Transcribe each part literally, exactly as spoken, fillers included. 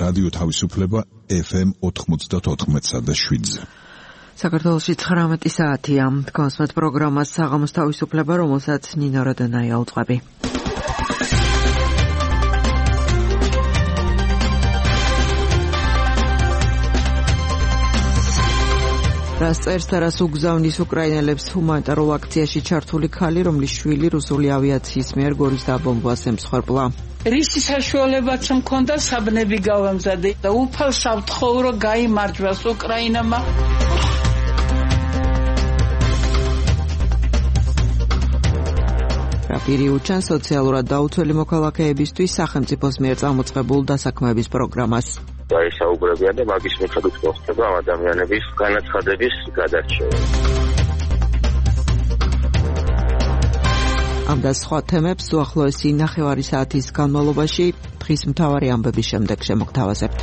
რადიო თავისუფლება ეფ ემ ოთხმოცდაოთხ და შვიდზე. საქართველოში ცხრამეტი საათია. თქვენს პროგრამას საღამოს თავისუფლება, რომელსაც ნინო როდონაია უძღვები. რას წერს და რას უგზავნის უკრაინელებს ჰუმანიტარულ აქციაში ჩართული ქალი, რომლის შვილი რუსული ავიაციის მიერ გორის დაბომბვას ემსხვერპლა. რისი საშუალებაც მქონდა საბნები გავამზადე და უფალ სავთხოვრო გაიმარჯვას უკრაინამა. რაპირი უჩან სოციალურად დაუცველი მოქალაქეებისთვის სახელმწიფოს მიერ წამოწყებულ დასაქმების პროგრამას. გაისაუბრებია და მაგის მიხედვით მოხდება ამ ადამიანების განაცხადების გადარჩევა. ამ და სხვა თემებს უახლოესი ნახევარი საათის განმავლობაში დღის მთავარი ამბების შემდეგ შემოგთავაზებთ.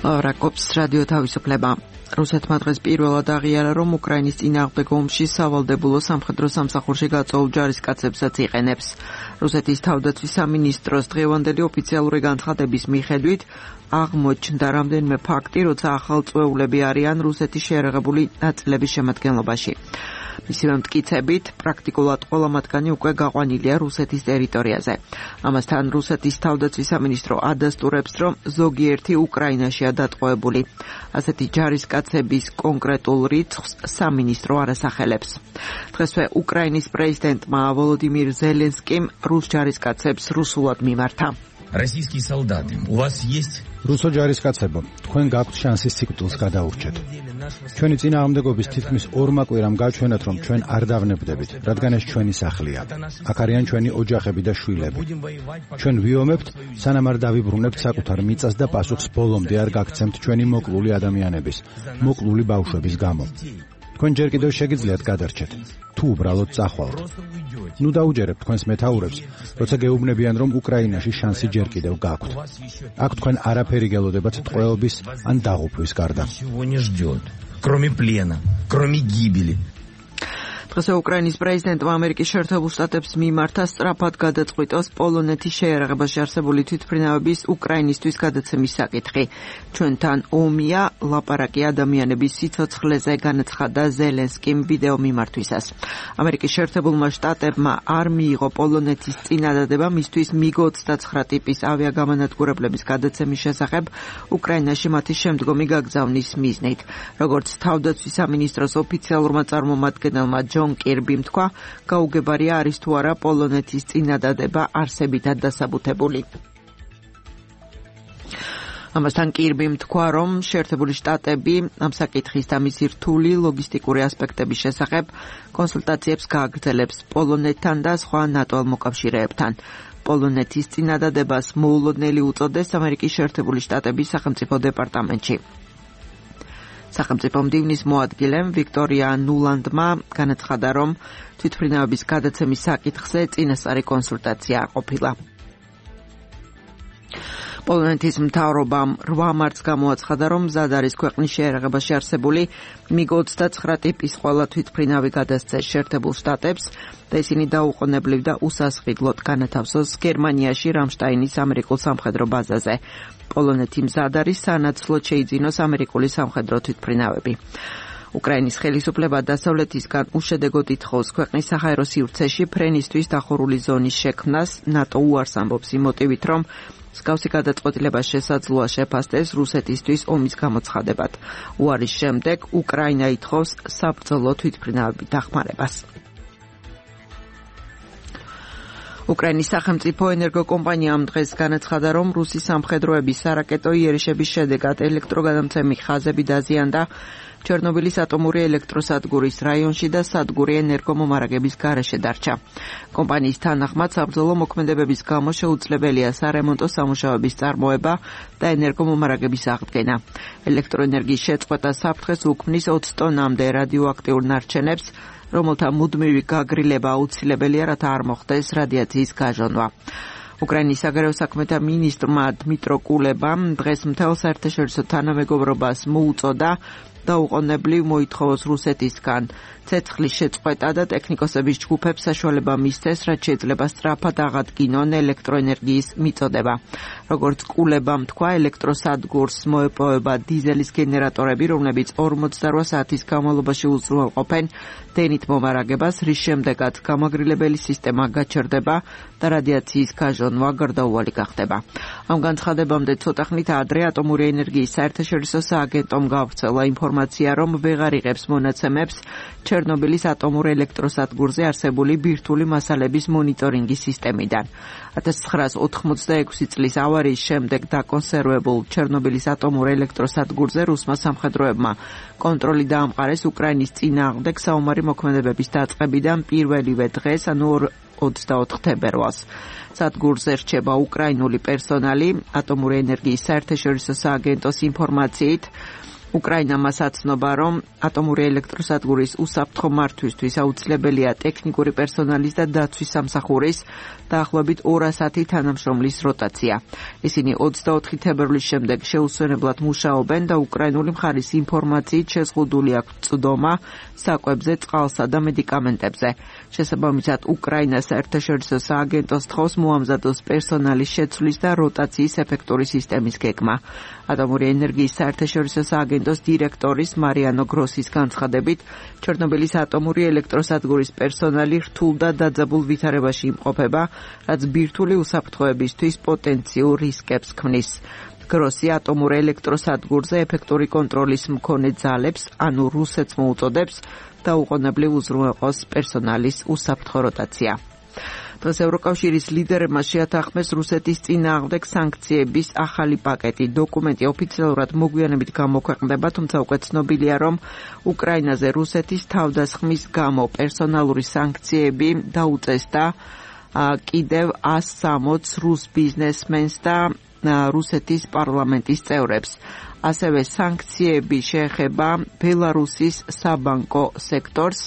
რაკობს რადიო თავისუფლება. რუსეთმა დღეს პირველად აღიარა, რომ უკრაინის წინააღმდეგ ომში სავალდებულო სამხედრო სამსახურში გაწვეულ ჯარისკაცებსაც იყენებს. რუსეთის თავდაცვის სამინისტროს დღევანდელი ოფიციალური განცხადების მიხედვით აღმოჩნდა რამდენიმე ფაქტი, როცა ახალწვეულები არიან რუსეთის შეერაღებული ნაწილების შემადგენლობაში. მისივე მტკიცებით, პრაქტიკულად ყველა მათგანი უკვე გაყვანილია რუსეთის ტერიტორიაზე. ამასთან რუსეთის თავდაცვის სამინისტრო ადასტურებს, რომ ზოგიერთი უკრაინაშია დატყვევებული. ასეთი ჯარისკაცების კონკრეტულ რიცხვს სამინისტრო არ ასახელებს. დღესვე უკრაინის პრეზიდენტმა ვოლოდიმირ ზელენსკიმ რუს ჯარისკაცებს რუსულად მიმართა. Российские солдаты, у вас есть რუსო ჯარისკაცებო, თქვენ გაქვთ შანსის ციკლს გადაურჩეთ. ჩვენი წინააღმდეგობის თითქმის ორმა კვირამ გაჩვენეთ, რომ ჩვენ არ დავნებდებით, რადგან ეს ჩვენი სახლია. აქ არიან ჩვენი ოჯახები და შვილები. ჩვენ ვიომებთ, სანამ არ დავიბრუნებთ საკუთარ მიწას და პასუხს ბოლომდე არ გაგცემთ ჩვენი მოკლული ადამიანების, მოკლული ბავშვების გამო. თქვენ ჯერ კიდევ შეგიძლიათ გადარჩეთ, თუ უბრალოდ წახვალთ. ნუ დაუჯერებთ თქვენს მეთაურებს, როცა გეუბნებიან, რომ უკრაინაში შანსი ჯერ კიდევ გაქვთ. აქ თქვენ არაფერი გელოდებათ ტყვეობის ან დაღუპვის გარდა. кроме плена, кроме гибели. დღეს უკრაინის პრეზიდენტმა ამერიკის შეერთებულ შტატებს მიმართა სწრაფად გადაწყვიტოს პოლონეთის შეერაღებაში არსებული თვითმფრინავების უკრაინისთვის გადაცემის საკითხი. ჩვენთან ომია, ლაპარაკი ადამიანების სიცოცხლეზე, განაცხადა ზელენსკიმ ვიდეო მიმართვისას. ამერიკის შეერთებულმა შტატებმა არ მიიღო პოლონეთის წინადადება მისთვის მიგ ოცდაცხრა ტიპის ავიაგამანადგურებლების გადაცემის შესახებ უკრაინაში მათი შემდგომი გაგზავნის მიზნით. როგორც თავდაცვის სამინისტროს ოფიციალურმა წარმომადგენელმა ჯონ კირბიმ თქვა, გაუგებარია არის თუ არა პოლონეთის წინადადება არსებითად დასაბუთებული. ამასთან კირბიმ თქვა, რომ შეერთებული შტატები ამ საკითხის და მისი რთული ლოგისტიკური ასპექტების შესახებ კონსულტაციებს გააგრძელებს პოლონეთთან და სხვა ნატო მოკავშირეებთან. პოლონეთის წინადადებას მოულოდნელი უწოდეს ამერიკის შეერთებული შტატების სახელმწიფო დეპარტამენტში. სახელმწიფო მდივნის მოადგილემ ვიქტორია ნულანდმა განაცხადა, რომ თვითმფრინავების გადაცემის საკითხზე წინასწარი კონსულტაცია არ ყოფილა. პოლონეთის მთავრობამ რვა მარტს გამოაცხადა, რომ მზად არის ქვეყნის შეერაღებაში არსებული მიგ ოცდაცხრა ტიპის ყველა თვითმფრინავი გადასცეს შეერთებულ შტატებს და ისინი დაუყოვნებლივ და უსასყიდლოდ განათავსოს გერმანიაში რამშტაინის ამერიკულ სამხედრო ბაზაზე. პოლონეთი მზად არის სანაცვლოდ შეიძინოს ამერიკული სამხედრო თვითმფრინავები. უკრაინის ხელისუფლება დასავლეთისგან უშედეგოდ ითხოვს ქვეყნის საჰაერო სივრცეში ფრენისთვის დახურული ზონის შექმნას. ნატო უარს ამბობს იმ მოტივით, რომ მსგავსი გადაწყვეტილება შესაძლოა შეფასდეს რუსეთისთვის ომის გამოცხადებად. უარის შემდეგ უკრაინა ითხოვს საბრძოლო თვითმფრინავების დახმარებას. უკრაინის სახელმწიფო ენერგოკომპანიამ დღეს განაცხადა, რომ რუსი სამხედროების სარაკეტო იერიშების შედეგად ელექტროგადამცემი ხაზები დაზიანდა ჩერნობილის ატომური ელექტროსადგურის რაიონში და სადგური ენერგომომარაგების გარეშე დარჩა. კომპანიის თანახმად საბრძოლო მოქმედებების გამო შეუძლებელია სარემონტო სამუშაოების წარმოება და ენერგომომარაგების აღდგენა. ელექტროენერგიის შეწყვეტა საფრთხეს უქმნის ოცი ტონამდე რადიოაქტიურ ნარჩენებს, რომელთა მუდმივი გაგრილება აუცილებელია, რათა არ მოხდეს რადიაციის გაჟონვა. უკრაინის საგარეო საქმეთა მინისტრმა დმიტრო კულებამ დღეს მთელ საერთაშორისო თანამეგობრობას მოუწოდა დაუყოვნებლივ მოითხოვოს რუსეთისგან ცეცხლის შეწყვეტა და ტექნიკოსების ჯგუფებს საშუალება მისცეს, რაც შეიძლება სწრაფად აღადგინონ ელექტროენერგიის მიწოდება. როგორც კულებამ თქვა, ელექტროსადგურს მოეპოვება დიზელის გენერატორები, რომლებიც ორმოცდაოთხ საათის განმავლობაში უზრუნველყოფენ დენით მომარაგებას, რის შემდეგაც გამაგრილებელი სისტემა გაჩერდება და რადიაციის გაჟონვა გარდაუვალი გახდება. ამ განცხადებამდე ცოტა ხნით ადრე ატომური ენერგიის საერთაშორისო სააგენტომ გავრცელა ინფორმაცია, რომ ვეღარ იღებს მონაცემებს ჩერნობილის ატომურ ელექტროსადგურზე არსებული ბირთვული მასალების მონიტორინგის სისტემიდან. ათას ცხრაას ოთხმოცდაექვსი წლის ავარიის შემდეგ დაკონსერვებულ ჩერნობილის ატომურ ელექტროსადგურზე რუსმა სამხედროებმა კონტროლი დაამყარეს უკრაინის წინააღმდეგ საომარი მოქმედებების დაწყებიდან პირველივე დღეს, ანუ ოცდაოთხ თებერვალს. სადგურზე რჩება უკრაინული პერსონალი. ატომური ენერგიის საერთაშორისო სააგენტოს ინფორმაციით უკრაინა მას აცნობა, რომ ატომური ელექტროსადგურის უსაფრთხო მართვისთვის აუცილებელია ტექნიკური პერსონალის და დაცვის სამსახურის დაახლოებით ორასათი თანამშრომლის როტაცია. ისინი ოცდაოთხი თებერვლის შემდეგ შეუსვენებლად მუშაობენ და უკრაინული მხარის ინფორმაციით შეზღუდული აქვს წვდომა საკვებზე, წყალსა და მედიკამენტებზე. შესაბამისად, უკრაინა საერთაშორისო სააგენტოს თხოვს მოამზადოს პერსონალის შეცვლის და როტაციის ეფექტური სისტემის გეგმა. ატომური ენერგიის საერთაშორისო სააგენტოს დირექტორის მარიანო გროსის განცხადებით, ჩერნობილის ატომური ელექტროსადგურის პერსონალი რთულ და დაძაბულ ვითარებაში იმყოფება, რაც ბირთვული უსაფრთხოებისთვის პოტენციურ რისკებს ქმნის. გროსი ატომურ ელექტროსადგურზე ეფექტური კონტროლის მქონე ძალებს, ანუ რუსეთს მოუწოდებს დაუყოვნებლივ უზრუნველყოს პერსონალის უსაფრთხო როტაცია. დღეს ევროკავშირის ლიდერებმა შეათანხმეს რუსეთის წინააღმდეგ სანქციების ახალი პაკეტი. დოკუმენტი ოფიციალურად მოგვიანებით გამოქვეყნდება, თუმცა უკვე ცნობილია, რომ უკრაინაზე რუსეთის თავდასხმის გამო პერსონალური სანქციები დაუწესდა კიდევ ას სამოც რუს ბიზნესმენს და რუსეთის პარლამენტის წევრებს. ასევე სანქციები შეეხება ბელარუსის საბანკო სექტორს.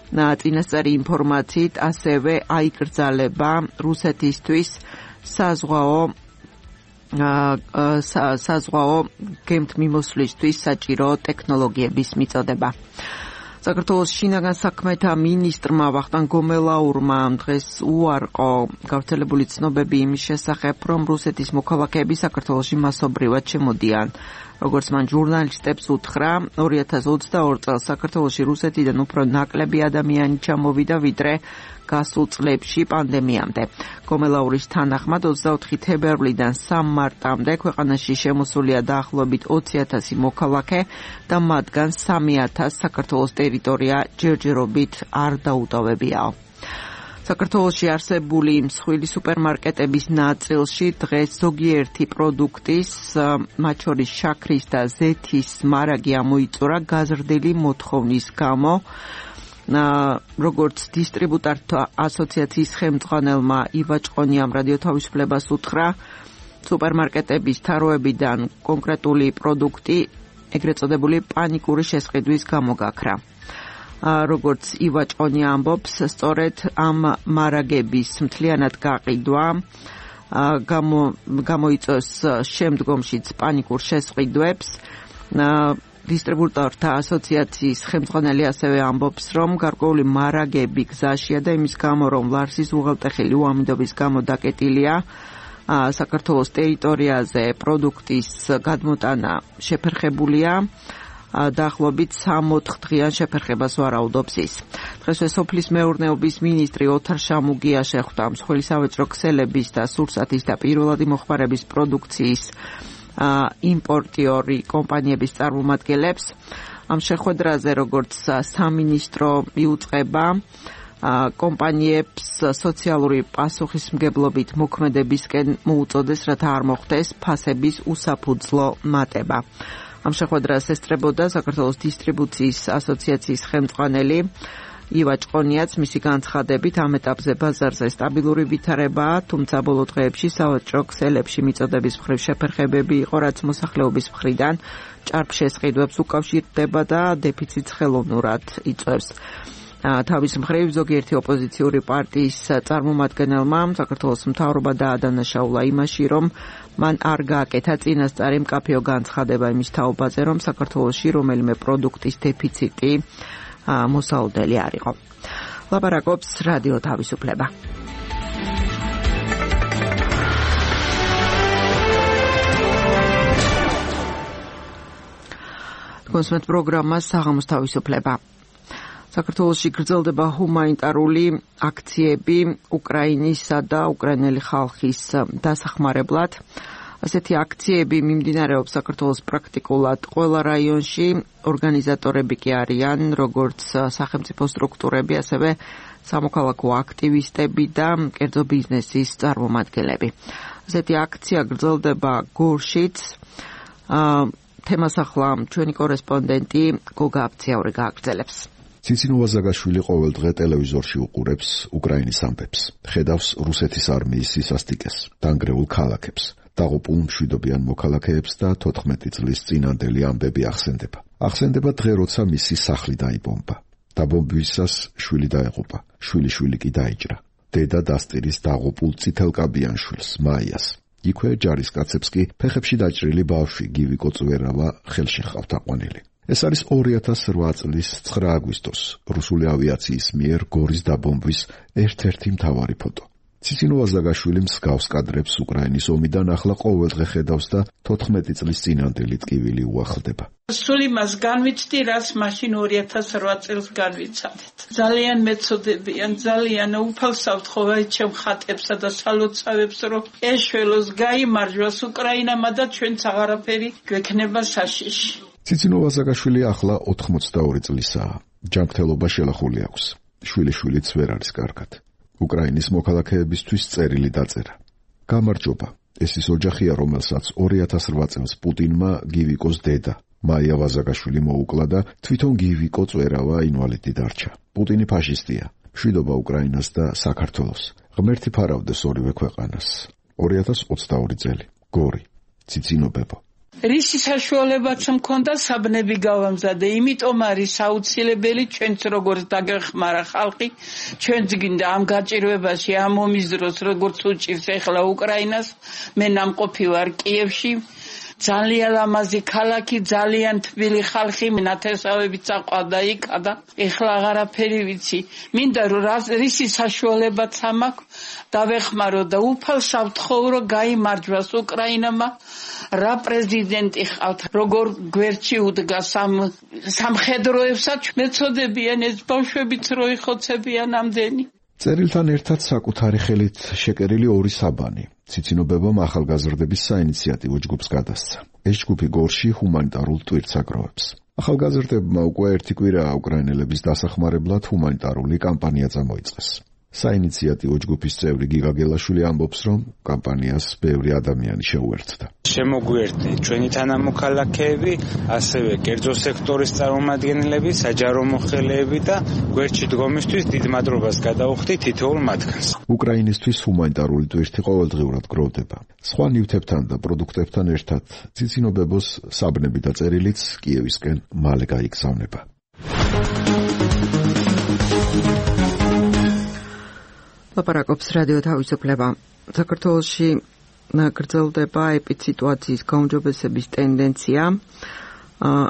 წინასწარი ინფორმაციით ასევე აიკრძალება რუსეთისთვის საზღვაო საზღვაო გემთმიმოსვლისთვის საჭირო ტექნოლოგიების მიწოდება. საქართველოს შინაგან საქმეთა მინისტრმა ვახტანგ გომელაურმა დღეს უარყო გავრცელებული ცნობები იმის შესახებ, რომ რუსეთის მოქალაქეები საქართველოში მასობრივად შემოდიან. როგორც მან ჟურნალისტებს უთხრა, ორი ათას ოცდაორ წელს საქართველოში რუსეთიდან უფრო ნაკლები ადამიანი ჩამოვიდა, ვიდრე გასულ წლებში პანდემიამდე. გომელაურის თანახმად ოცდაოთხი თებერვლიდან სამ მარტამდე ქვეყანაში შემოსულია დაახლოებით ოცი ათასი მოქალაქე და მათგან სამი ათასი საქართველოს ტერიტორია ჯერჯერობით არ დაუტოვებიაო. საქართველოში არსებული მსხვილი სუპერმარკეტების ნაწილში დღეს ზოგიერთი პროდუქტის, მათ შორის შაქრის და ზეთის მარაგი ამოიწურა გაზრდილი მოთხოვნის გამო. როგორც დისტრიბუტორთა ასოციაციის ხელმძღვანელმა ივა ჭყონიამ რადიო თავისუფლებას უთხრა, სუპერმარკეტების თაროებიდან კონკრეტული პროდუქტი, ეგრეთ წოდებული პანიკური შესყიდვის გამო გაქრა. როგორც ივა ჭყონია ამბობს, სწორედ ამ მარაგების მთლიანად გაყიდვა გამოიწვევს შემდგომშიც პანიკურ შესყიდვებს. დისტრიბუტორთა ასოციაციის ხელმძღვანელი ასევე ამბობს, რომ გარკვეული მარაგები გზაშია და იმის გამო, რომ ლარსის უღელტეხილი უამიდობის გამო დაკეტილია, საქართველოს ტერიტორიაზე პროდუქტის გადმოტანა შეფერხებულია. დაახლოებით სამოთხ დღიან შეფერხებას ვარაუდობს ის. დღესვე სოფლის მეურნეობის მინისტრი ოთარ შამუგია შეხვდა მსხვილი სავაჭრო ქსელების და სურსათის და პირველადი მოხმარების პროდუქციის იმპორტიორი კომპანიების წარმომადგენლებს. ამ შეხვედრაზე, როგორც სამინისტრო იუწყება, კომპანიებს სოციალური პასუხისმგებლობით მოქმედებისკენ მოუწოდეს, რათა არ მოხდეს ფასების უსაფუძვლო მატება. ამ შეხვედრას ესწრებოდა საქართველოს დისტრიბუციის ასოციაციის ხელმძღვანელი ივა ჭყონიაც. მისი განცხადებით, ამ ეტაპზე ბაზარზე სტაბილური ვითარებაა, თუმცა ბოლო დღეებში სავაჭრო ქსელებში მიწოდების მხრივ შეფერხებები იყო, რაც მოსახლეობის მხრიდან ჭარბ შესყიდვებს უკავშირდება და დეფიციტს ხელოვნურად იწვევს. თავის მხრივ ზოგიერთი ოპოზიციური პარტიის წარმომადგენელმა საქართველოს მთავრობა დაადანაშაულა იმაში, რომ მან არ გააკეთა წინასწარი მკაფიო განცხადება იმის თაობაზე, რომ საქართველოში რომელიმე პროდუქტის დეფიციტი მოსალოდნელი არ იყო. ლაპარაკობს რადიო თავისუფლება. კონსმეთ პროგრამა საღამოს თავისუფლება. საქართველოში გრძელდება ჰუმანიტარული აქციები უკრაინისა და უკრაინელი ხალხის დასახმარებლად. ასეთი აქციები მიმდინარეობს საქართველოს პრაქტიკულად ყველა რაიონში. ორგანიზატორები კი არიან როგორც სახელმწიფო სტრუქტურები, ასევე სამოქალაქო აქტივისტები და კერძო ბიზნესის წარმომადგენლები. ასეთი აქცია გრძელდება გორშიც. თემას ახლა ჩვენი კორესპონდენტი გოგა აბციაური გააგრძელებს. ციცინოვა ზაგაშვილი ყოველ დღე ტელევიზორში უყურებს უკრაინის ამბებს, ხედავს რუსეთის არმიის სისასტიკეს, დანგრეულ ქალაქებს, დაღუპულ მშვიდობიან მოქალაქეებს და თოთხმეტი წლის წინანდელი ამბები ახსენდება. ახსენდება დღე, როცა მისი სახლი დაიბომბა. დაბომბვისას შვილი დაეღუპა, შვილიშვილი კი დაიჭრა. დედა დასტირის დაღუპულ წითელკაბიან შვილს, მაიას. იქვე ჯარისკაცებს კი ფეხებში დაჭრილი ბავშვი გივი კოწვერავა ხელში ჰყავთ აყვანილი. ეს არის ორი ათას ოთხ წლის ცხრა აგვისტოს რუსული ავიაციის მიერ გორის დაბომბვის ერთ-ერთი მთავარი ფოტო. ციცინოვა ზაგაშვილი მსგავს კადრებს უკრაინის ომიდან ახლა ყოველდღე ხედავს და თოთხმეტი წლის წინანდელი ტკივილი უახლდება. სულ იმას განვიცდი, რაც მაშინ ორი ათას ოთხ წელს განვიცადეთ. ძალიან მეწოდებიან, ძალიან უფალსავთ ხოვა ჩემ ხატებსა და სალოცავებს, რომ ეშველოს გაიმარჯვას უკრაინამა და ჩვენც აღარაფერი გვექნება საშიში. ციცინოვა ზაგაშვილი ახლა ოთხმოცდაორი წლისაა. ჯანმრთელობა შელახული აქვს. შვილიშვილიც ვერ არის კარგად. უკრაინის მოქალაქეებისთვის წერილი დაწერა. გამარჯობა. ეს ის ოჯახია, რომელსაც ორი ათას ოთხ წელს პუტინმა გივიკოს დედა, მაია ვაზაგაშვილი მოუკლა და თვითონ გივიკო წვერავა ინვალიდი დარჩა. პუტინი ფაშისტია. მშვიდობა უკრაინას და საქართველოს. ღმერთი ფარავდეს ორივე ქვეყანას. ორი ათას ოცდაორი წელი. გორი. ციცინობებო. რისი საშუალებაც მქონდა საბნები გავამზადე, იმიტომ არის აუცილებელი ჩვენც როგორც დაგეხმარა ხალხი, ჩვენც გინდა ამ გაჭირვებაში, ამ ომის დროს როგორც უჭირს ეხლა უკრაინას, მე ნამყოფი ვარ კიევში, ძალიან ლამაზი ქალაქი, ძალიან თბილი ხალხი, ნათესავებით საყვავდა იქა და ეხლა აღარაფერი ვიცი. მინდა რომ რისი საშუალებაც ამაქვს დავეხმარო და უფალსავთ ხოვრო გაიმარჯვას უკრაინამა. რა პრეზიდენტი ხავთ, როგორ გვერდში უდგა სამ სამხედროებსაც მეწოდებიან ეს ბავშვებიც რო იხოცებიან ამდენი. წერილთან ერთად საკუთარი ხელით შეკერილი ორი საბანი. ციცინობებამ ახალგაზრდების საინიციატივო ჯგუფს გადასცა. ეს ჯგუფი გორში ჰუმანიტარულ ტვირთს აგროვებს. ახალგაზრდებმა უკვე ერთი კვირაა უკრაინელების დასახმარებლად ჰუმანიტარული კამპანია წამოიწყეს. საინიციატივო ჯგუფის წევრი გიგა გელაშვილი ამბობს, რომ კამპანიას ბევრი ადამიანი შეუერთდა. შემოგვიერთდი ჩვენი თანამოქალაქეები, ასევე კერძო სექტორის წარმომადგენლები, საჯარო მოხელეები და გვერდში დგომისთვის დიდ მადლობას გადაუხდი თითოეულ მათგანს. უკრაინისთვის ჰუმანიტარული ტვირთი ყოველდღიურად გროვდება. სხვა ნივთებთან და პროდუქტებთან ერთად ციცინობებოს საბნები და წერილიც კიევისკენ მალე გაიგზავნება. ლაპარაკობს რადიო თავისუფლება. საქართველოში გრძელდება ეპიდსიტუაციის გაუმჯობესების ტენდენცია.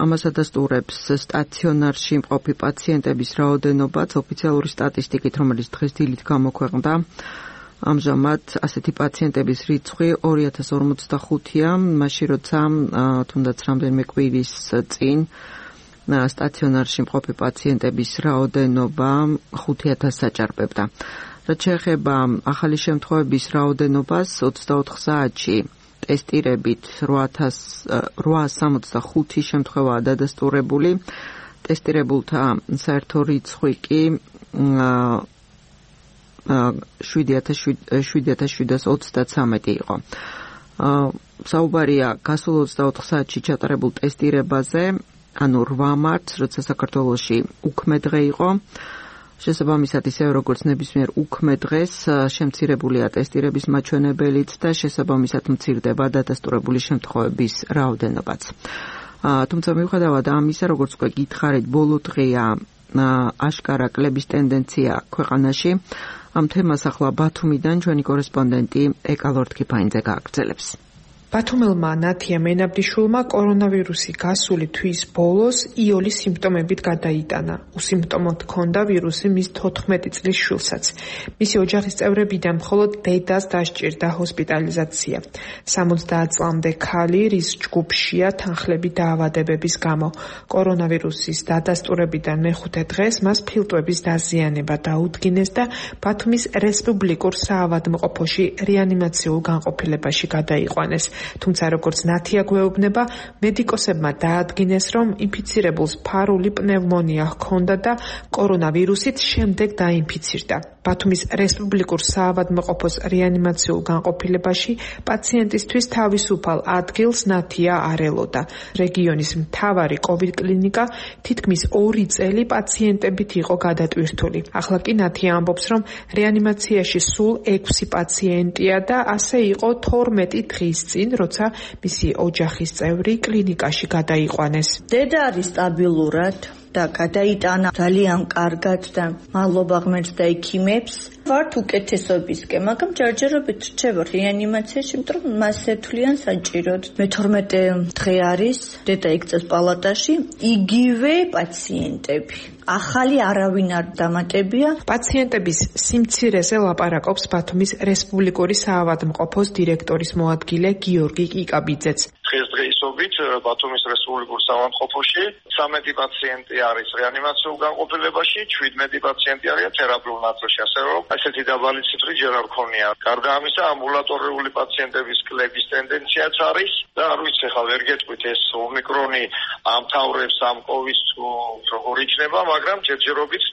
ამას ადასტურებს სტაციონარში მყოფი პაციენტების რაოდენობაც ოფიციალური სტატისტიკით, რომელიც დღეს დილით გამოქვეყნდა. ამჟამად ასეთი პაციენტების რიცხვი ორი ათას ორმოცდახუთია, მაშინ როცა თუნდაც რამდენიმე კვირის წინ სტაციონარში მყოფი პაციენტების რაოდენობა ხუთი ათასს აჭარბებდა. რაც შეეხება ახალი შემთხვევების რაოდენობას, ოცდაოთხ საათში ტესტირებით რვაას სამოცდახუთი შემთხვევაა დადასტურებული. ტესტირებულთა საერთო რიცხვი კი შვიდი ათას შვიდსას ოცდათვრამეტი იყო. საუბარია გასულ ოცდაოთხ საათში ჩატარებულ ტესტირებაზე, ანუ რვა მარტს, როცა საქართველოში უქმე დღე იყო. შესაბამისად, ისევე როგორც ნებისმიერ უქმე დღეს შემცირებულია ტესტირების მაჩვენებელიც და შესაბამისად მცირდება დადასტურებული შემთხვევების რაოდენობაც. თუმცა მიუხედავად ამისა, როგორც უკვე გითხარით, ბოლო დღეა აშკარა კლების ტენდენცია ქვეყანაში. ამ თემას ახლა ბათუმიდან ჩვენი კორესპონდენტი ეკა ლორთქიფაინძე გააგრძელებს. ბათუმელმა ნათია მენაბდიშვილმა კორონავირუსი გასული თვის ბოლოს იოლის სიმპტომებით გადაიტანა. უსიმპტომოდ ჰქონდა ვირუსი მის თოთხმეტი წლის შვილსაც. მისი ოჯახის წევრებიდან მხოლოდ დედას დასჭირდა ჰოსპიტალიზაცია. სამოცდაათ წლამდე ქალი, რის ჯგუფშია თანხლები დაავადებების გამო. კორონავირუსის დადასტურებიდან მეხუთე დღეს მას ფილტვების დაზიანება დაუდგინეს და ბათუმის რესპუბლიკურ საავადმყოფოში რეანიმაციულ განყოფილებაში გადაიყვანეს. თუმცა როგორც ნათია გვეუბნება, მედიკოსებმა დაადგინეს, რომ ინფიცირებულს ფარული პნევმონია ჰქონდა და კორონავირუსით შემდეგ დაინფიცირდა. ბათუმის რესპუბლიკურ საავადმყოფოს რეანიმაციულ განყოფილებაში პაციენტისთვის თავისუფალ ადგილს ნათია არ ელოდა. რეგიონის მთავარი კოვიდ კლინიკა თითქმის ორი წელი პაციენტებით იყო გადატვირთული. ახლა კი ნათია ამბობს, რომ რეანიმაციაში სულ ექვსი პაციენტია და ასე იყო თორმეტი დღის წინ, როცა მისი ოჯახის წევრი კლინიკაში გადაიყვანეს. დედა არის სტაბილურად და გადაიტანა ძალიან კარგად და მადლობა ღმერთს და ექიმებს. ვართ უკეთესობისკენ, მაგრამ ჯერჯერობით რჩება რეანიმაციაში, იმიტომ რომ მას ეთვლიან საჭიროდ. მეთორმეტე დღე არის, დედა იქცეს პალატაში, იგივე პაციენტები. ახალი არავინ არ დამატებია. პაციენტების სიმცირეზე ლაპარაკობს ბათუმის რესპუბლიკური საავადმყოფოს დირექტორის მოადგილე გიორგი კიკაბიძეც. დღესდღეობით ბათუმის რესპუბლიკურ საავადმყოფოში ცამეტი პაციენტი არის რეანიმაციულ განყოფილებაში, შვიდმეტი პაციენტი არის თერაპიულ ნაწილში, ასე რომ ასეთი დაბალი ციფრი ჯერ არ ქონია. გარდა ამისა, ამბულატორიული პაციენტების კლების ტენდენციაც არის და არ ვიცი ხა ვერ გეტყვით ეს ომიკრონი ამთავრებს ამ კოვიდს როგორ იქნება, მაგრამ ჯერჯერობით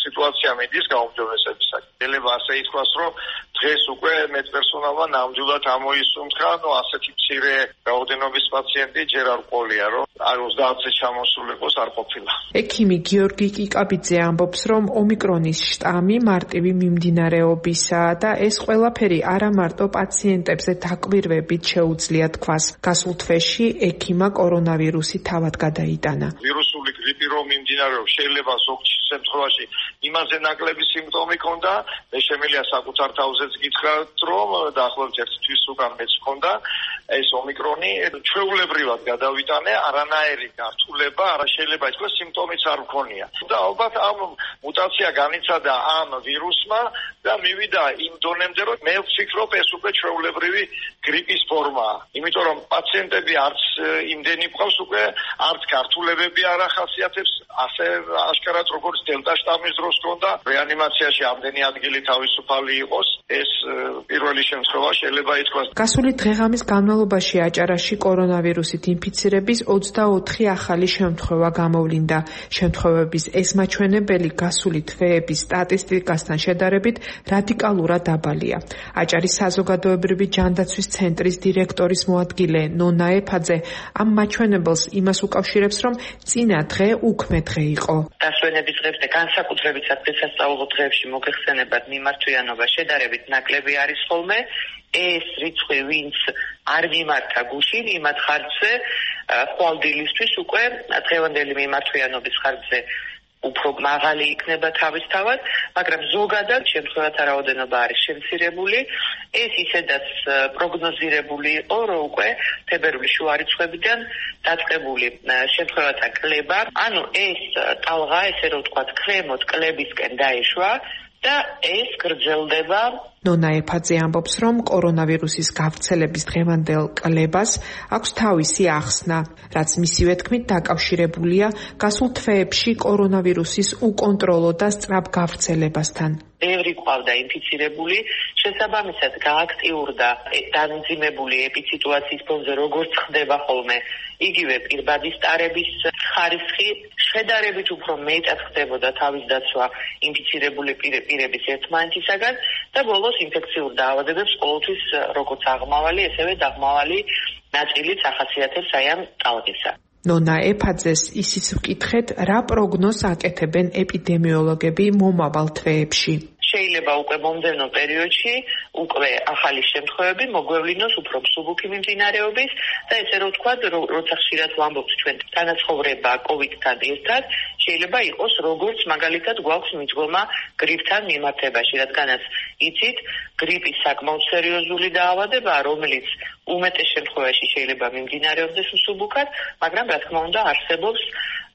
სიტუაცია მიდის გაუმჯობესებისაკენ. შეიძლება ასე ითქვას, რომ დღეს უკვე მედპერსონალმა ნამდვილად ამოისუნთქა, ნუ ასეთი მცირე რაოდენობის პაციენტი ჯერ არ ყოლია, რომ არ ოცდაათზე ჩამოსულიყოს არ ყოფილა. ექიმი გიორგი კიკაბიძე ამბობს, რომ ომიკრონის შტამი მარტივი მიმდინარეობისაა და ეს ყველაფერი არა მარტო პაციენტებზე დაკვირვებით შეუძლია თქვას. გასულ თვეში ექიმა კორონავირუსი თავად გადაიტანა. ვირუსული გრიპი რომ მიმდინარეობს, შეიძლება ზოგ შემთხვევაში იმაზე ნაკლები სიმპტომი ქონდა, მე შემიძლია საკუთარ თავზეც გითხრათ, რომ დაახლოებით ერთი თვის უკან მეც ქონდა ეს ომიკრონი, ჩვეულებრივად გადავიტანე, არანაირი გართულება, არა შეიძლება ითქვას სიმპტომიც არ მქონია. და ალბათ ამ მუტაცია განიცადა ამ ვირუსმა და მივიდა იმ დონემდე, რომ მე ვფიქრობ ეს უკვე ჩვეულებრივი გრიპის ფორმაა. იმიტომ რომ პაციენტები არც იმდენი ყავს უკვე, არც გართულებები არ ახასიათებს, ასე აშკარად როგორც დელტა შტამის დროს ქონდა, რეანიმაციაში ამდენი ადგილი თავისუფალი იყოს, ეს პირველი შემთხვევა შეიძლება ითქვას. გასული დღეღამის განმავლობაში აჭარაში კორონავირუსით ინფიცირების ოცდაოთხი ახალი შემთხვევა გამოვლინდა. შემთხვევების ეს მაჩვენებელი გასული თვეების სტატისტიკასთან შედარებით რადიკალურად დაბალია. აჭარის საზოგადოებრივი ჯანდაცვის ცენტრის დირექტორის მოადგილე ნონა ეფაძე ამ მაჩვენებელს იმას უკავშირებს, რომ წინა დღე უქმე დღე იყო. დასვენების დღეებს და განსაკუთრებითაც დღესასწაულო დღეებში მოგეხსენებათ მიმართვიანობა შედარებით ნაკლები არის ხოლმე. ეს რიცხვი ვინც არ მიმართა გუშინ, იმათ ხარჯზე ხვალდილისთვის უკვე დღევანდელი მიმართვიანობის ხარჯზე უფრო მაღალი იქნება თავისთავად, მაგრამ ზოგადად შემთხვევათა რაოდენობა არის შემცირებული. ეს ისედაც პროგნოზირებული იყო, რომ უკვე თებერვლის შუა რიცხვებიდან დაწყებული შემთხვევათა კლება, ანუ ეს ტალღა, ესე რომ ვთქვათ, ქვემოთ კლებისკენ დაეშვა და ეს გრძელდება. ნონა ეფაძე ამბობს, რომ კორონავირუსის გავრცელების დღევანდელ კლებას აქვს თავისი ახსნა, რაც მისივე თქმით დაკავშირებულია გასულ თვეებში კორონავირუსის უკონტროლო და სწრაფ გავრცელებასთან. ბევრი ყავდა ინფიცირებული, შესაბამისად გააქტიურდა დამძიმებული ეპისიტუაციის ფონზე, როგორც ხდება ხოლმე, იგივე პირბადის ტარების ხარისხი, შედარებით უფრო მეტად ხდებოდა თავის დაცვა ინფიცირებული პირების ერთმანეთისაგან და ბოლოს ინფექციურ დაავადებებს ყოველთვის როგორც აღმავალი, ესევე დაღმავალი ნაწილიც ახასიათებს აი ამ ტალღისა. ნონა ეფაძეს ისიც ვკითხეთ, რა პროგნოზს აკეთებენ ეპიდემიოლოგები მომავალ თვეებში. შეიძლება უკვე მომდევნო პერიოდში უკვე ახალი შემთხვევები მოგვევლინოს უფრო მსუბუქი მიმდინარეობის და ესე რომ ვთქვათ, როცა ხშირად ვამბობთ ჩვენ თანაცხოვრება კოვიდთან ერთად, შეიძლება იყოს როგორც მაგალითად გვაქვს მიძღომა გრიპთან მიმართებაში, რადგანაც იცით, გრიპი საკმაოდ სერიოზული დაავადებაა, რომელიც უმეტეს შემთხვევაში შეიძლება მიმდინარეობდეს უსუბუქად, მაგრამ რა თქმა უნდა არსებობს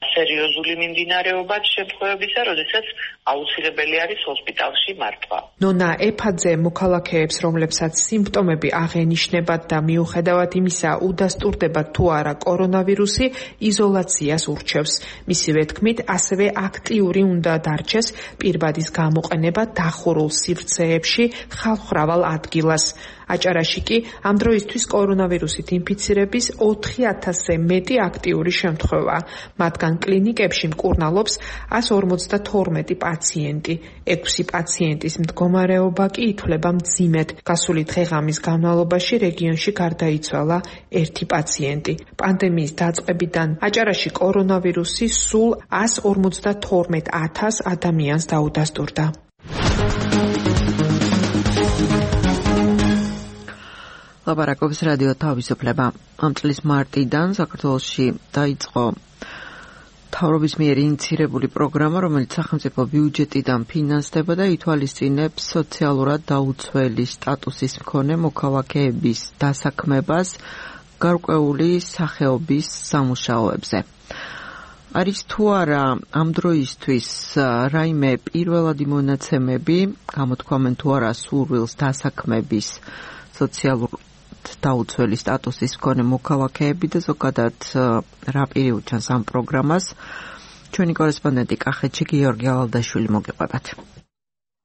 სერიოზული მიმდინარეობაც შემთხვევებისა, როდესაც აუცილებელი არის ჰოსპიტალში მართვა. ნონა ეფაძე მოქალაქეებს, რომლებსაც სიმპტომები აღენიშნებათ და მიუხედავად იმისა უდასტურდებათ თუ არა კორონავირუსი, იზოლაციას ურჩევს. მისივე თქმით, ასევე აქტიური უნდა დარჩეს პირბადის გამოყენება დახურულ სივრცეებში ხალხმრავალ ადგილას. აჭარაში კი ამ დროისთვის კორონავირუსით ინფიცირების ოთხი ათასზე მეტი აქტიური შემთხვევა. მათგან კლინიკებში მკურნალობს εκατს ორმოცდათორმეტი პაციენტი. ექვსი პაციენტის მდგომარეობა კი ითვლება მძიმედ. გასული დღე-ღამის განმავლობაში რეგიონში გარდაიცვალა ერთი პაციენტი. პანდემიის დაწყებიდან აჭარაში კორონავირუსი სულ εκατს ორმოცდათორმეტ ათას ადამიანს დაუდასტურდა. ლაპარაკობს რადიო თავისუფლება. ამ წლის მარტიდან საქართველოში დაიწყო მთავრობის მიერ ინიცირებული პროგრამა, რომელიც სახელმწიფო ბიუჯეტიდან ფინანსდება და ითვალისწინებს სოციალურად დაუცველი სტატუსის მქონე მოქალაქეების დასაქმებას გარკვეული სახეობის სამუშაოებზე. არის თუ არა ამ დროისთვის რაიმე პირველადი მონაცემები, გამოთქვამენ თუ არა სურვილს დასაქმების სოციალურ დაუცველი სტატუსის მქონე მოქალაქეები და ზოგადად რა პირი უჩანს ამ პროგრამას, ჩვენი კორესპონდენტი კახეთში გიორგი ალალდაშვილი მოგიყვებათ.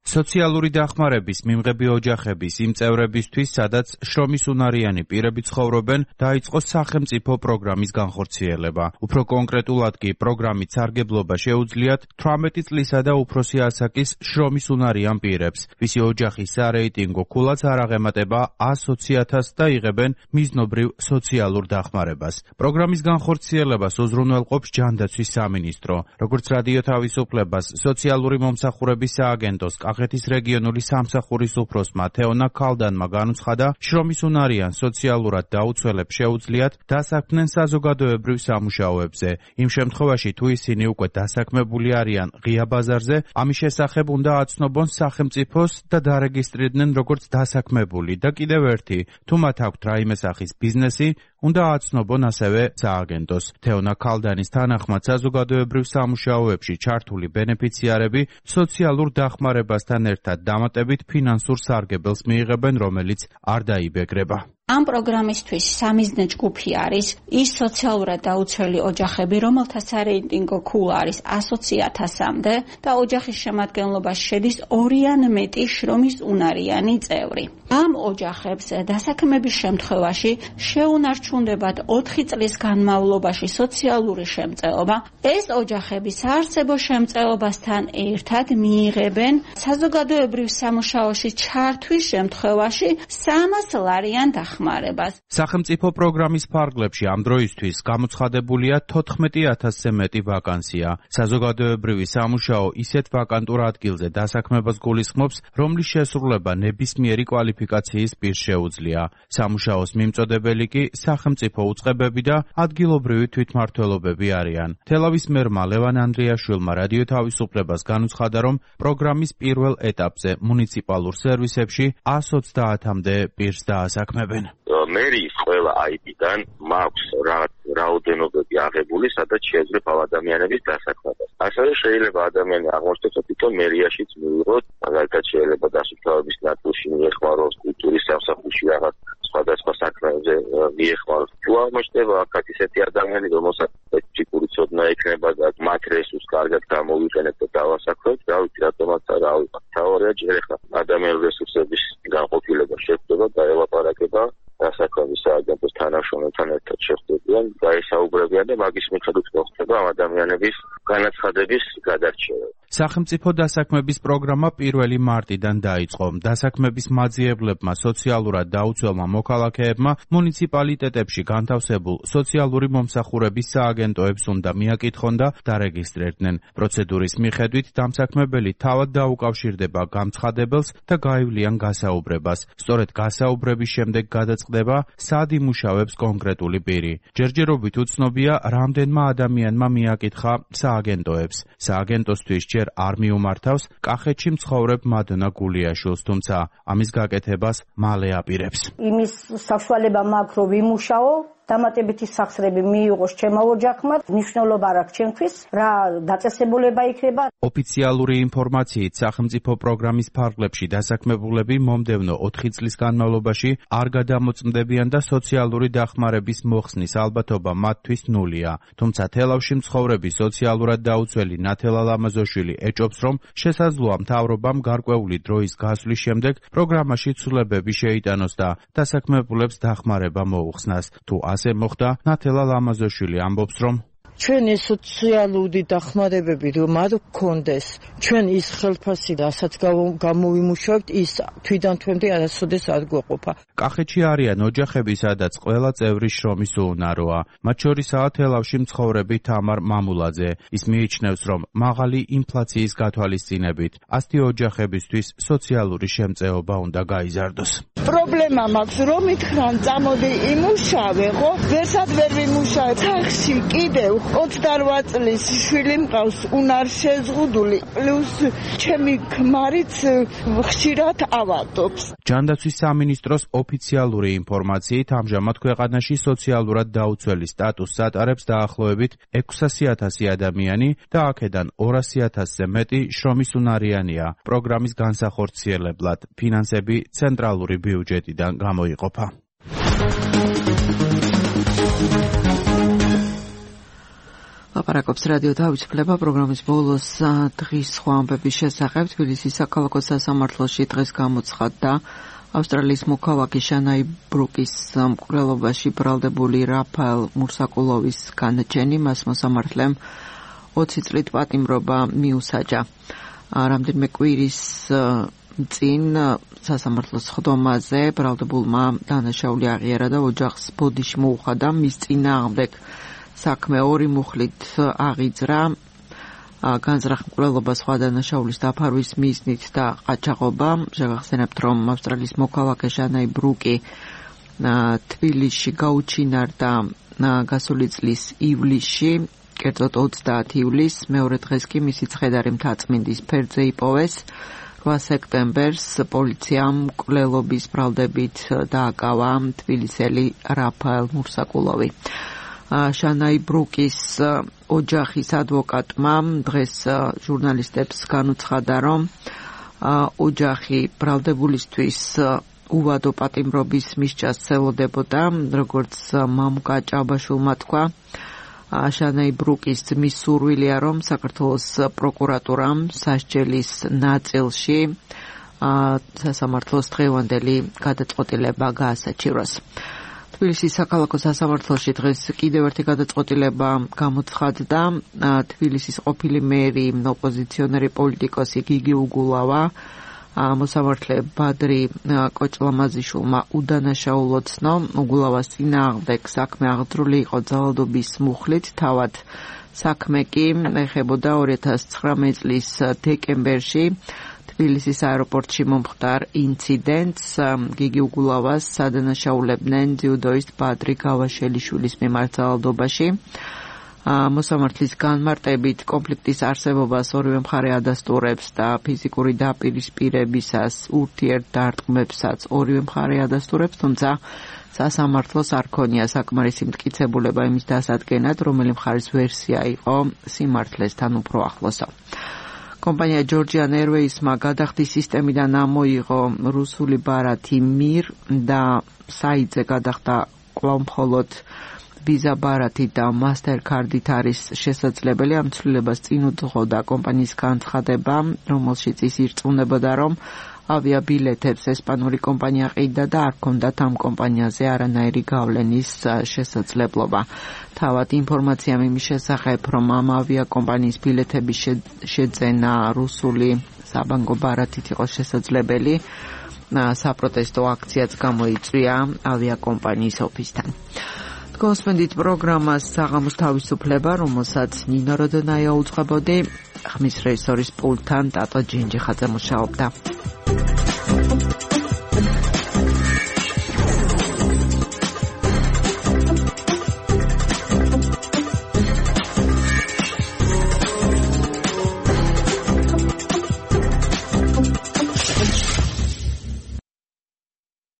სოციალური დახმარების მიმღები ოჯახების იმ წევრებისთვის, სადაც შრომის უნარიანი პირები ცხოვრობენ, დაიწყო სახელმწიფო პროგრამის განხორციელება. უფრო კონკრეტულად კი პროგრამის სარგებლობა შეუძლიათ თვრამეტი წლისა და უფროსი ასაკის შრომის უნარიან პირებს, ვისი ოჯახის სარეიტინგო ქულაც არ აღემატება ათს ათასს და იღებენ მიზნობრივ სოციალურ დახმარებას. პროგრამის განხორციელებას უზრუნველყოფს ჯანდაცვის სამინისტრო. როგორც რადიო თავისუფლებას სოციალური მომსახურების სააგენტოს კახეთის რეგიონული სამსახურის უფროსმა თეონა ქალდანმა განუცხადა, შრომის უნარიან სოციალურად დაუცველებს შეუძლიათ დასაქმდნენ საზოგადოებრივ სამუშაოებზე. იმ შემთხვევაში, თუ ისინი უკვე დასაქმებული არიან ღია ბაზარზე, ამის შესახებ უნდა აცნობონ სახელმწიფოს და დარეგისტრირდნენ როგორც დასაქმებული და კიდევ ერთი, თუ მათ აქვთ რაიმე სახის ბიზნესი, უნდა აცნობონ ასევე სააგენტოს. თეონა ქალდანის თანახმად საზოგადოებრივ სამუშაოებში ჩართული ბენეფიციარები სოციალურ დახმარებასთან ერთად დამატებით ფინანსურ სარგებელს მიიღებენ, რომელიც არ დაიბეგრება. ამ პროგრამისთვის სამიზნე ჯგუფი არის ის სოციალურად დაუცველი ოჯახები, რომელთა სარეიტინგო ქულა არის ათს ათასამდე და ოჯახის შემადგენლობაში შედის ორი ან მეტი შრომის უნარიანი წევრი. ამ ოჯახებს დასაქმების შემთხვევაში შეუნარჩუნდებათ ოთხი წლის განმავლობაში სოციალური შემწეობა. ეს ოჯახები საარსებო შემწეობასთან ერთად მიიღებენ საზოგადოებრივ სამუშაოში ჩართვის შემთხვევაში სამას ლარიან დახმარებას. სახელმწიფო პროგრამის ფარგლებში ამ დროისთვის გამოცხადებულია თოთხმეტი ათასზე მეტი ვაკანსია. საზოგადოებრივი სამუშაო ისეთ ვაკანტურ ადგილზე დასაქმებას გულისხმობს, რომლის შესრულება ნებისმიერი კვალიფიკაციის პირს შეუძლია. სამუშაოს მიმწოდებელი კი სახელმწიფო უწყებები და ადგილობრივი თვითმმართველობები არიან. თელავის მერმა ლევან ანდრიაშვილმა რადიო თავისუფლებას განუცხადა, რომ პროგრამის პირველ ეტაპზე მუნიციპალურ სერვისებში ათს ოცდაათამდე პირს დაასაქმებენ. მერის ყველა აიბიდან მაქვს რაოდენობები აღებული, სადაც შეეძლება ადამიანების დასაქმებას. ასევე შეიძლება ადამიანი აღმოჩნდეს, რომ თვითონ მერიაშიც მიიღოს, მაგალითად შეიძლება დასუფთავების ნაწილში მიეხმაროს, კულტურის სამსახურში რაღაც სხვადასხვა საქმეებზე მიეხმაროს. თუ აღმოჩნდება აქაც ისეთი ადამიანი, რომელსაც სპეციფიკური ცოდნა ექნება და მათ რესურსს კარგად გამოვიყენებთ და დავასაქმებთ, რა ვიცი, რატომაც არა ავიღოთ. თავარია ჯერ ახლა ადამიანური რესურსების განყოფილება შეხვდება და ელაპარაკება დასაქმების სააგენტოს თანამშრომელთან ერთად შეხვდებიან, გაესაუბრებიან და მაგის მიხედვით მოხდება ამ ადამიანების განაცხადების გადარჩევა. სახელმწიფო დასაქმების პროგრამა პირველი მარტიდან დაიწყო. დასაქმების მაძიებლებმა სოციალურად დაუცველმა მოქალაქეებმა მუნიციპალიტეტებში განთავსებულ სოციალური მომსახურების სააგენტოებს უნდა მიაკითხონ და დარეგისტრირდნენ. პროცედურის მიხედვით დამსაქმებელი თავად დაუკავშირდება გამცხადებელს და გაივლიან გასაუბრებას. სწორედ გასაუბრების შემდეგ გადაწყდება, სად იმუშავებს კონკრეტული პირი. ჯერჯერობით უცნობია, რამდენმა ადამიანმა მმა მიაკითხა სააგენტოებს. სააგენტოსთვის ჯერ არ მიუმართავს კახეთში მცხოვრებ მადონა გულიაშვილს, თუმცა ამის გაკეთებას მალე აპირებს. იმის საშუალება მაქვს, რომ ვიმუშაო, დამატებითი სახსრები მიიღოს ჩემო ოჯახმა, მნიშვნელობა არ აქვს ჩემთვის, რა დაწესებულება იქნება. ოფიციალური ინფორმაციით, სახელმწიფო პროგრამის ფარგლებში დასაქმებულები მომდევნო ოთხი წლის განმავლობაში არ გადამოწმდებიან და სოციალური დახმარების მოხსნის ალბათობა მათთვის ნულია. თუმცა თელავში მცხოვრები სოციალურად დაუცველი ნათელა ლამაზოშვილი ეჭობს, რომ შესაძლოა მთავრობამ გარკვეული დროის გასვლის შემდეგ პროგრამაში ცვლილებები შეიტანოს და დასაქმებულებს დახმარება მოუხსნას. თუ ასე მოხდა, ნათელა ლამაზოშვილი ამბობს, რომ ჩვენი სოციალური დახმარებები რომ არ გქონდეს, ჩვენ ის ხელფასი, რასაც გამოვიმუშავებთ, ის თვიდან თვემდე არასოდეს არ გვეყოფა. კახეთში არიან ოჯახები, სადაც ყველა წევრი შრომის უუნაროა. მათ შორისაა თელავში მცხოვრები თამარ მამულაძე. ის მიიჩნევს, რომ მაღალი ინფლაციის გათვალისწინებით ასეთი ოჯახებისთვის სოციალური შემწეობა უნდა გაიზარდოს. პრობლემა მაქვს, რომ ითხრან წამოდი იმუშავე, ხო? ვერსად ვერ ვიმუშავე. სახში კიდევ ოცდარვა წლის შვილი მყავს, უნარ შეზღუდული, პლუს ჩემი ქმარიც ხშირად ავადობს. ჯანდაცვის სამინისტროს ოფიციალური ინფორმაციით, ამჟამად ქვეყანაში სოციალურად დაუცველი სტატუსს ატარებს დაახლოებით ექვსასი ათასი ადამიანი და აქედან ორასი ათასზე მეტი შრომის უნარიანია. პროგრამის განსახორციელებლად ფინანსები ცენტრალური ბიუჯეტიდან გამოიყოფა. ლაპარაკობს რადიო თავისუფლება პროგრამის ბოლოს დღის სხვა ამბების შესახებ. თბილისის საქალაქო სასამართლოში დღეს გამოცხადდა ავსტრალიის მოქალაქე შანაი ბრუკის მკვლელობაში ბრალდებული რაფაელ მურსაკულოვის განაჩენი. მას მოსამართლემ ოცი წლით პატიმრობა მიუსაჯა. რამდენიმე კვირის წინ სასამართლოს ხდომაზე ბრალდებულმა დანაშაული აღიარა და ოჯახს ბოდიში მოუხადა. მის წინააღმდეგ საქმე ორი მუხლით აღიძრა. განზრახ მკვლელობა სხვა დანაშაულის დაფარვის მიზნით და ყაჩაღობა. შევახსენებთ, რომ ავსტრალიის მოქალაქე შანაი ბრუკი თბილისში გაუჩინარდა გასული წლის ივლისში, კერძოდ ოცდაათი ივლისს. მეორე დღეს კი მისი ცხედარი მთაწმინდის ფერდზე იპოვეს. რვა სექტემბერს პოლიციამ მკვლელობის ბრალდებით დააკავა თბილისელი რაფაელ მურსაკულოვი. შანაი ბრუკის ოჯახის ადვოკატმა დღეს ჟურნალისტებს განუცხადა, რომ ოჯახი ბრალდებულისთვის უვადო პატიმრობის მისჯას ცელოდებოდა, როგორც მამუკა ჭაბაშვილმა თქვა. შანაი ბრუკის ძმის სურვილია, რომ საქართველოს პროკურატურამ სასჯელის ნაწილში სასამართლოს დღევანდელი გადაწყვეტილება გაასაჩივროს. თბილისის საქალაქო სასამართლოში დღეს კიდევ ერთი გადაწყვეტილება გამოცხადდა. თბილისის ყოფილი მერი, ოპოზიციონერი პოლიტიკოსი გიგი უგულავა მოსამართლე ბადრი კოჭლამაზიშვილმა უდანაშაულო ცნო. უგულავას წინააღმდეგ საქმე აღძრული იყო ძალადობის მუხლით, თავად საქმე კი ეხებოდა ორი ათას ცხრამეტი წლის დეკემბერში თბილისის აეროპორტში მომხდარ ინციდენტს. გიგი უგულავას სადანაშაულებდნენ ძიუდოისტ ბადრი გავაშელიშვილის მიმართ ძალადობაში. მოსამართლის განმარტებით კონფლიქტის არსებობას ორივე მხარე ადასტურებს და ფიზიკური დაპირისპირებისას ურთიერთდარტყმებსაც ორივე მხარე ადასტურებს, თუმცა სასამართლოს არ ქონია საკმარისი მტკიცებულება იმის დასადგენად, რომელი მხარის ვერსია იყო სიმართლესთან უფრო ახლოსო. კომპანია Georgian Airways-მა გადახდის სისტემიდან ამოიღო რუსული ბარათი მირ და საიტზე გადახდა კვლავ მხოლოდ Visa ბარათი და Mastercard-ით არის შესაძლებელი. ამ ცვლილებას წინ უძღოდა კომპანიის განცხადება, რომელშიც ის ირწმუნებოდა, რომ ავიაბილეთებს ესპანური კომპანია ყიდდა და არ ჰქონდათ ამ კომპანიაზე არანაირი გავლენის შესაძლებლობა. თავად ინფორმაციამ იმის შესახებ, რომ ამ ავიაკომპანიის ბილეთების შეძენა რუსული საბანკო ბარათით იყო შესაძლებელი, საპროტესტო აქციაც გამოიწვია ავიაკომპანიის ოფისთან. გოსმენდით პროგრამას საღამოს თავისუფლება, რომელსაც ნინო როდონაია უძღვებოდი, ხმის რეჟისორის პულტთან ტატო ჯინჯიხაძე მუშაობდა.